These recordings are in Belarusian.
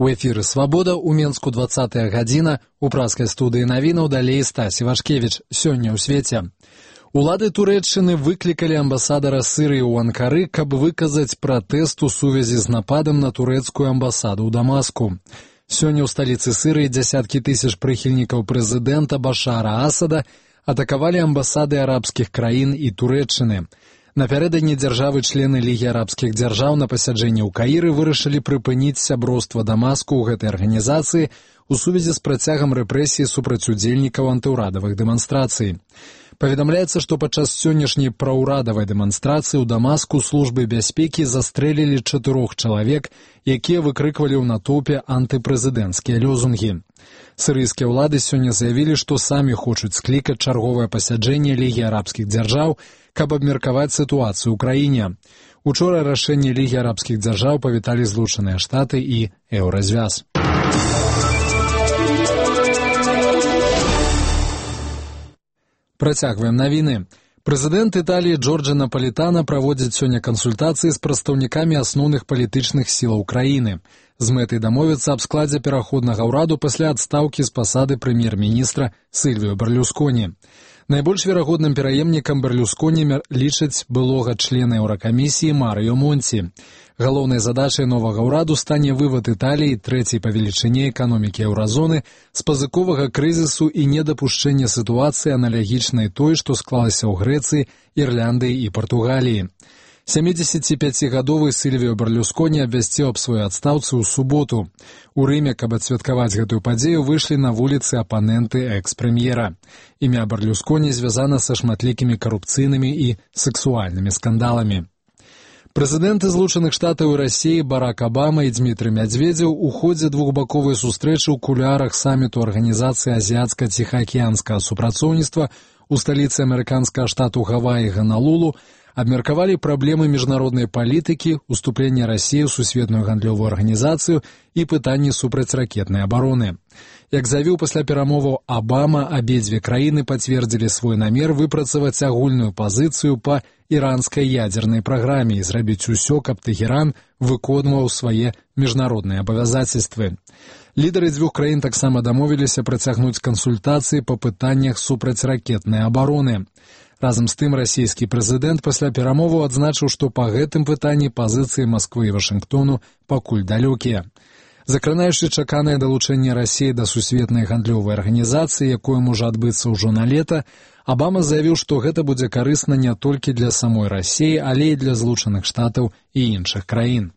У эфіры «Свабода» ў Менску 20-я гадзіна, у праскай студыі навінаў далей Стась Івашкевіч. Сёння ў свеце. Улады Турэччыны выклікалі амбасадара Сірыі ў Анкары, каб выказаць пратэст у сувязі з нападам на турэцкую амбасаду ў Дамаску. Сёння ў сталіцы Сірыі дзясяткі тысяч прыхільнікаў прэзідэнта Башара Асада атакавалі амбасады арабскіх краін і Турэччыны. Напярэдадні дзяржавы-члены Лігі арабскіх дзяржаў на пасяджэнні ў Каіры вырашылі прыпыніць сяброўства Дамаску ў гэтай арганізацыі у сувязі з працягам рэпрэсій супраць удзельнікаў антыўрадавых дэманстрацый. Паведамляецца, што падчас сённяшняй праўрадавай дэманстрацыі ў Дамаску службы бяспекі застрэлілі 4 чалавек, якія выкрыквалі ў натоўпе антыпрэзідэнцкія лёзунгі. Сірыйскія ўлады сёння заявілі, што самі хочуць склікаць чарговае пасяджэнне Лігі арабскіх дзяржаў, каб абмеркаваць сітуацыю ў краіне. Учора рашэнне Лігі арабскіх дзяржаў павіталі Злучаныя Штаты і Еўразвяз. Працягваем навіны. Прэзідэнт Італіі Джорджа Напалітана праводзіць сёння кансультацыі з прадстаўнікамі асноўных палітычных сілаў краіны з мэтай дамовіцца аб складзе пераходнага ўраду пасля адстаўкі з пасады прэм'ер-міністра Сільвіо Берлюсконі. Найбольш верагодным пераемнікам Берлюсконі лічаць былога члена Еўракамісіі Марыё Монці. Галоўнай задачай новага ўраду стане вывад Італіі, трэцяй па велічыні эканомікі еўразоны, з пазыковага крызісу і недапушчэння сітуацыі аналагічнай той, што склалася ў Грэцыі, Ірландыі і Партугаліі. 75-гадовы Сільвіо Берлюсконі абвясціў аб сваёй адстаўцы ў суботу. У Рыме, каб адсвяткаваць гэтую падзею, выйшлі на вуліцы апаненты экс-прэм'ера. Імя Берлюсконі звязана са шматлікімі карупцыйнымі і сексуальнымі скандаламі. Прэзідэнты Злучаных Штатаў і Расіі Барак Абама і Дзмітрый Мядзведзеў у ходзе двухбаковай сустрэчы ў кулуарах саміту Арганізацыі азіяцка-ціхаакіянскага супрацоўніцтва у сталіцы амерыканскага штату Гаваі Ганалулу абмеркавалі праблемы міжнароднай палітыкі, уступлення Расіі ў сусветную гандлёвую арганізацыю і пытанні супрацьракетнай абароны. Як заявіў пасля перамоваў Абама, абедзве краіны пацвердзілі свой намер выпрацаваць агульную пазіцыю па іранскай ядзернай праграме і зрабіць усё, каб Тэгеран выконваў свае міжнародныя абавязацельствы. Лідары дзвюх краін таксама дамовіліся працягнуць кансультацыі па пытаннях супрацьракетнай абароны. Разам з тым, расійскі прэзідэнт пасля перамоваў адзначыў, што па гэтым пытанні пазіцыі Масквы і Вашынгтону пакуль далёкія. Закранаючы чаканае далучэнне Расіі да сусветнай гандлёвай арганізацыі, якое можа адбыцца ўжо на лета, Абама заявіў, што гэта будзе карысна не толькі для самой Расіі, але і для Злучаных Штатаў і іншых краін.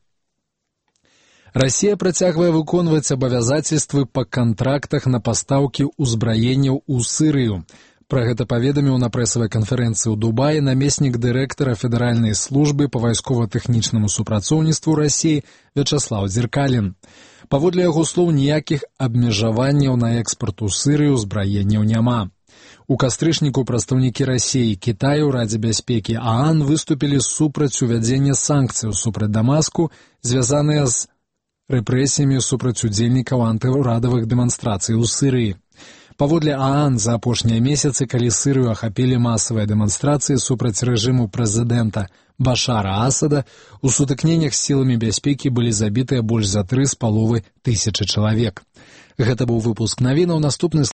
Расія працягвае выконваць абавязацельствы па кантрактах на пастаўкі ўзбраенняў у Сірыю. Пра гэта паведаміў на прэсавай канферэнцыі ў Дубаі намеснік дырэктара Федэральнай службы па вайскова-тэхнічнаму супрацоўніцтву Расіі Вячаслаў Дзеркалін. Паводле яго слоў, ніякіх абмежаванняў на экспарт у Сірыю ўзбраенняў няма. У кастрычніку прадстаўнікі Расіі і Кітаю ў Радзе бяспекі ААН выступілі супраць увядзення санкцыяў супраць Дамаску, звязаныя з рэпрэсіямі супраць удзельнікаў антыўрадавых дэманстрацый у Сірыі. Паводле ААН, за апошнія месяцы, калі Сірыю ахапілі масавыя дэманстрацыі супраць рэжыму прэзідэнта Башара Асада, у сутыкненнях з сіламі бяспекі былі забітыя больш за 3,5 тысячы чалавек. Гэта быў выпуск навінаў, наступны